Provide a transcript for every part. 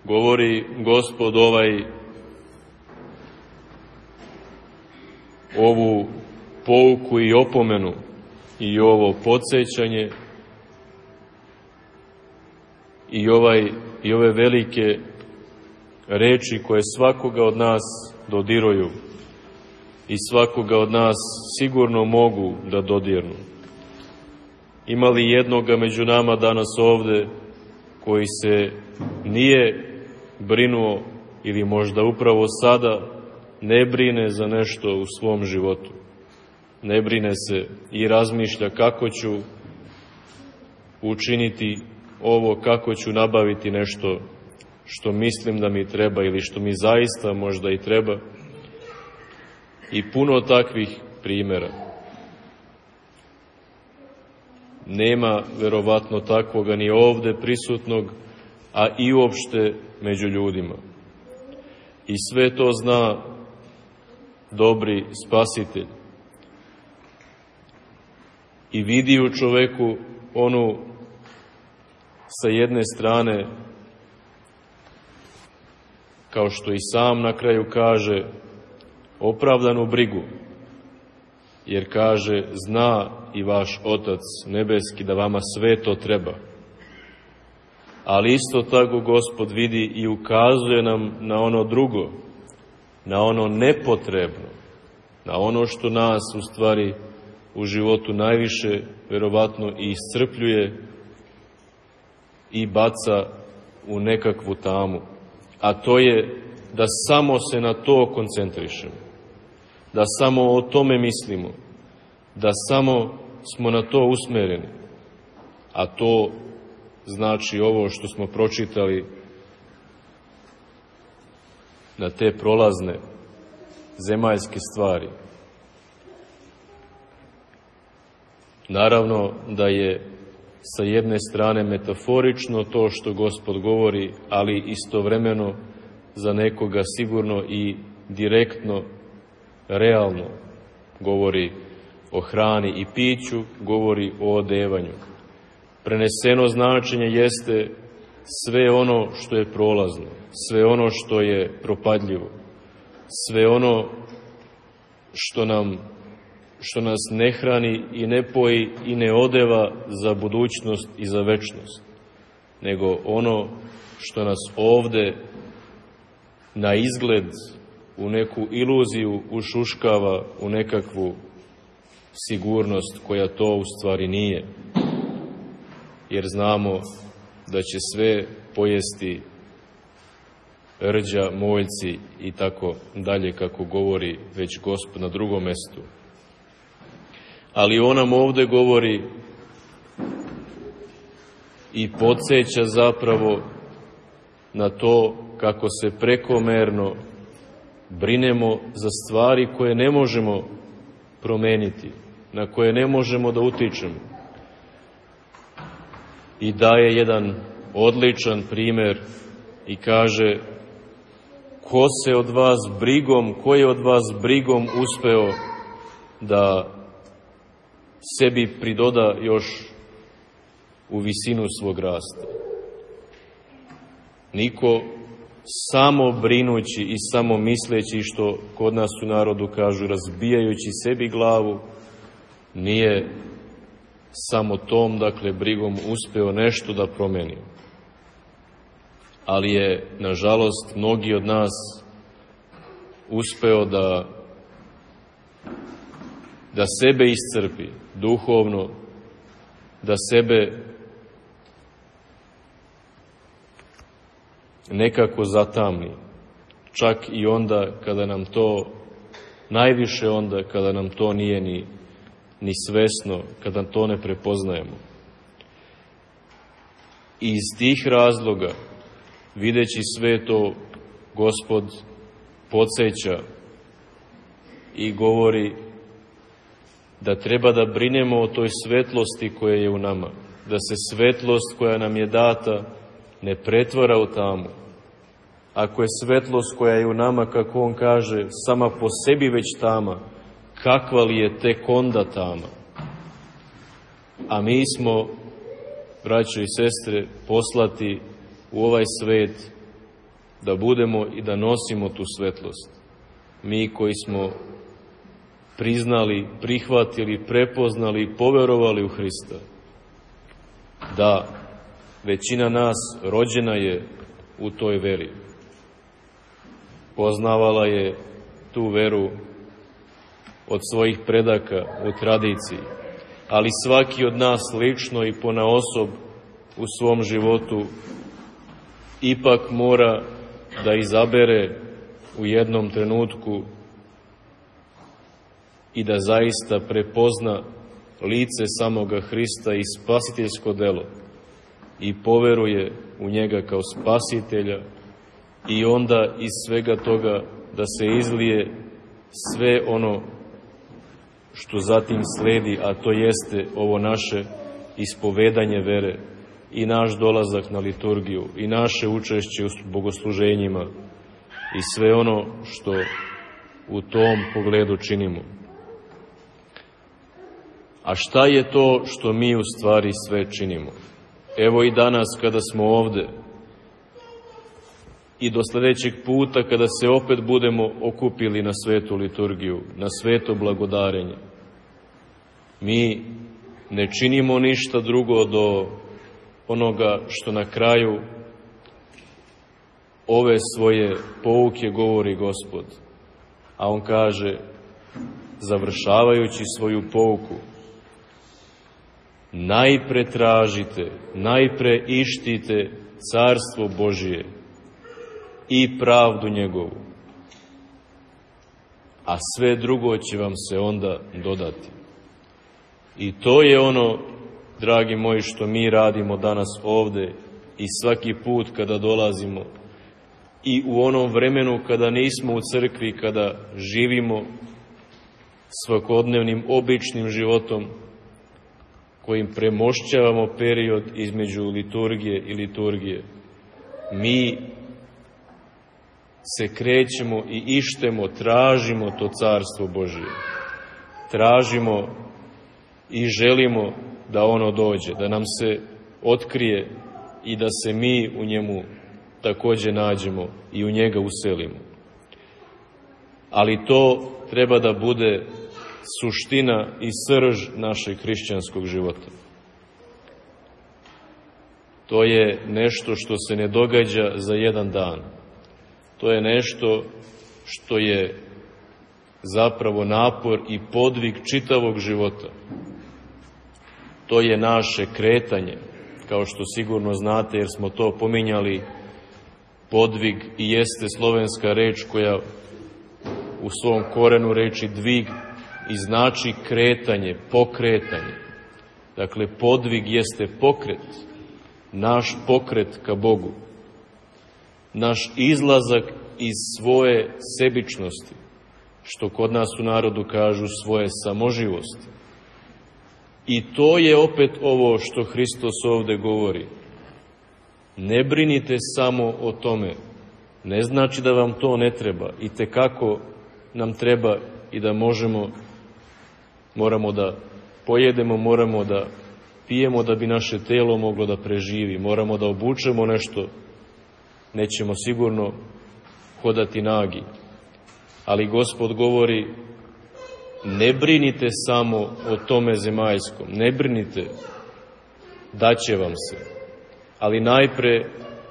govori Gospod ovu pouku i opomenu i ovo podsjećanje i ove velike reči koje svakoga od nas dodiruju i svakoga od nas sigurno mogu da dodirnu. Ima li jednoga među nama danas ovde koji se nije brinuo ili možda upravo sada ne brine za nešto u svom životu? Ne brine se i razmišlja kako ću učiniti ovo, kako ću nabaviti nešto što mislim da mi treba ili što mi zaista možda i treba. I puno takvih primjera. Nema verovatno takvoga ni ovde prisutnog, a i uopšte među ljudima. I sve to zna dobri Spasitelj. I vidi u čoveku onu sa jedne strane, kao što i sam na kraju kaže, opravdanu brigu, jer kaže, zna i vaš Otac nebeski da vama sve to treba. Ali isto tako Gospod vidi i ukazuje nam na ono drugo, na ono nepotrebno, na ono što nas u stvari u životu najviše verovatno i iscrpljuje i baca u nekakvu tamu. A to je da samo se na to koncentrišemo, da samo o tome mislimo, da samo smo na to usmereni. A to znači ovo što smo pročitali, na te prolazne zemaljske stvari. Naravno da je sa jedne strane metaforično to što Gospod govori, ali istovremeno za nekoga sigurno i direktno, realno govori o hrani i piću, govori o odevanju. Preneseno značenje jeste sve ono što je prolazno, sve ono što je propadljivo, sve ono što nas ne hrani i ne poji i ne odeva za budućnost i za večnost, nego ono što nas ovde na izgled u neku iluziju ušuškava, u nekakvu sigurnost koja to u stvari nije. Jer znamo da će sve pojesti rđa, moljci i tako dalje, kako govori već Gospod na drugom mestu. Ali on nam ovde govori i podsjeća zapravo na to kako se prekomerno brinemo za stvari koje ne možemo promeniti, na koje ne možemo da utičemo. I daje jedan odličan primer i kaže, ko je od vas brigom uspeo da sebi pridoda još u visinu svog rasta? Niko samo brinući i samo misleći, što kod nas u narodu kažu, razbijajući sebi glavu, nije samo tom, dakle, brigom uspeo nešto da promeni. Ali je, nažalost, mnogi od nas uspeo da sebe iscrpi duhovno, da sebe nekako zatamni, čak i onda kada nam to, najviše onda kada nam to nije ni svesno, kada to ne prepoznajemo. I iz tih razloga, videći sve to, Gospod podsjeća i govori da treba da brinemo o toj svetlosti koja je u nama, da se svetlost koja nam je data ne pretvara u tamu. Ako je svetlost koja je u nama, kako on kaže, sama po sebi već tama, kakva li je tek onda tama? A mi smo, braćo i sestre, poslati u ovaj svet da budemo i da nosimo tu svetlost. Mi koji smo priznali, prihvatili, prepoznali i poverovali u Hrista. Da, većina nas rođena je u toj veri. Poznavala je tu veru od svojih predaka u tradiciji, ali svaki od nas lično i ponaosob u svom životu ipak mora da izabere u jednom trenutku i da zaista prepozna lice samoga Hrista i spasiteljsko delo i poveruje u njega kao spasitelja i onda iz svega toga da se izlije sve ono što zatim sledi, a to jeste ovo naše ispovedanje vere i naš dolazak na liturgiju i naše učešće u bogosluženjima i sve ono što u tom pogledu činimo. A šta je to što mi u stvari sve činimo? Evo i danas kada smo ovde i do sledećeg puta kada se opet budemo okupili na svetu liturgiju, na sveto blagodarenje, mi ne činimo ništa drugo do onoga što na kraju ove svoje pouke govori Gospod. A on kaže, završavajući svoju pouku, najpre tražite, najpre ištite carstvo Božije i pravdu njegovu, a sve drugo će vam se onda dodati. I to je ono, dragi moji, što mi radimo danas ovde i svaki put kada dolazimo i u onom vremenu kada nismo u crkvi, kada živimo svakodnevnim običnim životom kojim premošćavamo period između liturgije i liturgije. Mi se krećemo i ištemo, tražimo to carstvo Božije. Tražimo i želimo da ono dođe, da nam se otkrije i da se mi u njemu takođe nađemo i u njega uselimo. Ali to treba da bude suština i srž našeg hrišćanskog života. To je nešto što se ne događa za jedan dan. To je nešto što je zapravo napor i podvig čitavog života. To je naše kretanje, kao što sigurno znate jer smo to pominjali. Podvig i jeste slovenska reč koja u svom korenu reči dvig i znači kretanje, pokretanje. Dakle, podvig jeste pokret, naš pokret ka Bogu, naš izlazak iz svoje sebičnosti, što kod nas u narodu kažu svoje samoživosti. I to je opet ovo što Hristos ovde govori. Ne brinite samo o tome. Ne znači da vam to ne treba. I tekako nam treba i da moramo da pojedemo, moramo da pijemo da bi naše telo moglo da preživi. Moramo da obučemo nešto. Nećemo sigurno hodati nagi. Ali Gospod govori, ne brinite samo o tome zemaljskom. Ne brinite, daće vam se. Ali najpre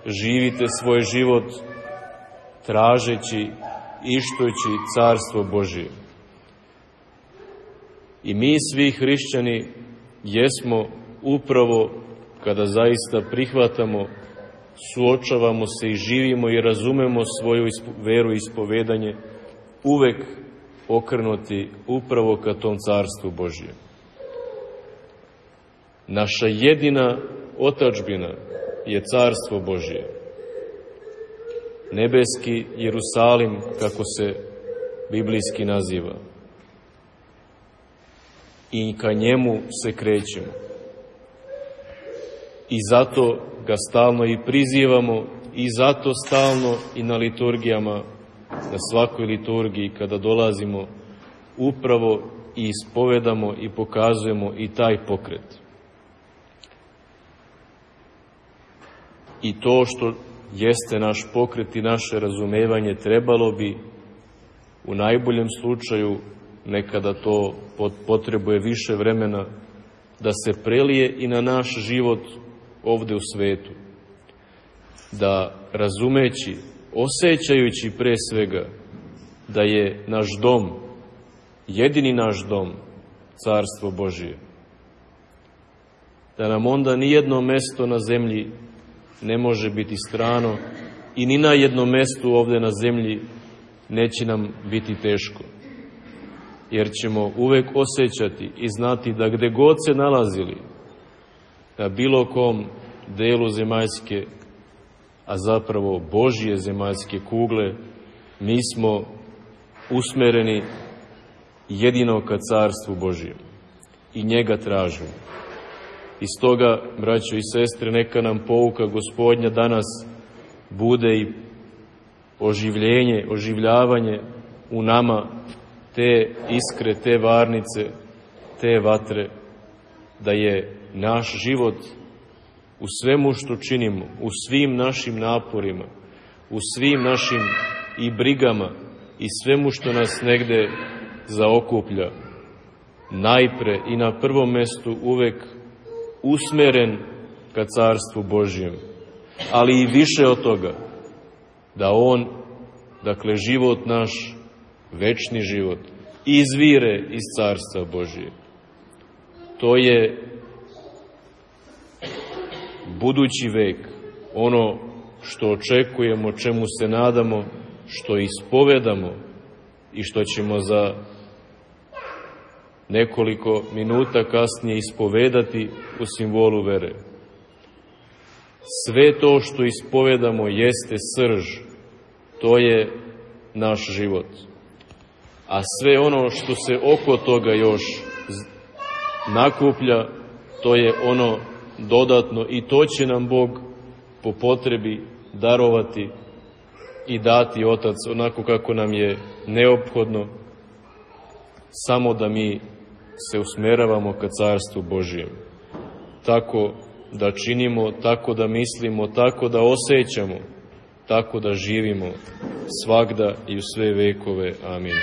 živite svoj život tražeći, ištujući carstvo Božije. I mi svi hrišćani jesmo upravo kada zaista prihvatamo, suočavamo se i živimo i razumemo svoju veru i ispovedanje, uvek okrenuti upravo ka tom carstvu Božije. Naša jedina otadžbina je carstvo Božije. Nebeski Jerusalim, kako se biblijski naziva. I ka njemu se krećemo. I zato ga stalno i prizivamo i zato stalno i na liturgijama, na svakoj liturgiji kada dolazimo, upravo i ispovedamo i pokazujemo i taj pokret. I to što jeste naš pokret i naše razumevanje, trebalo bi u najboljem slučaju, nekada to potrebuje više vremena, da se prelije i na naš život ovde u svetu. Da razumeći, osjećajući pre svega da je naš dom, jedini naš dom, Carstvo Božije, da nam onda nijedno mesto na zemlji ne može biti strano i ni na jednom mestu ovde na zemlji neće nam biti teško. Jer ćemo uvek osjećati i znati da gde god se nalazili, na bilo kom delu zemaljske, a zapravo Božje zemaljske kugle, mi smo usmereni jedino ka Carstvu Božjem i njega tražimo. I stoga, braćo i sestre, neka nam pouka Gospodnja danas bude i oživljavanje u nama te iskre, te varnice, te vatre, da je naš život u svemu što činimo, u svim našim naporima, u svim našim i brigama i svemu što nas negde zaokuplja, najpre i na prvom mestu uvek usmeren ka Carstvu Božjem, ali i više od toga, da on, dakle život naš, večni život, izvire iz Carstva Božjeg. To je budući vek, ono što očekujemo, čemu se nadamo, što ispovedamo i što ćemo za nekoliko minuta kasnije ispovedati u simbolu vere. Sve to što ispovedamo jeste srž, to je naš život. A sve ono što se oko toga još nakuplja, to je ono dodatno i to će nam Bog po potrebi darovati i dati Otac onako kako nam je neophodno, samo da mi se usmeravamo ka Carstvu Božjem. Tako da činimo, tako da mislimo, tako da osjećamo, tako da živimo svagda i u sve vekove. Amin.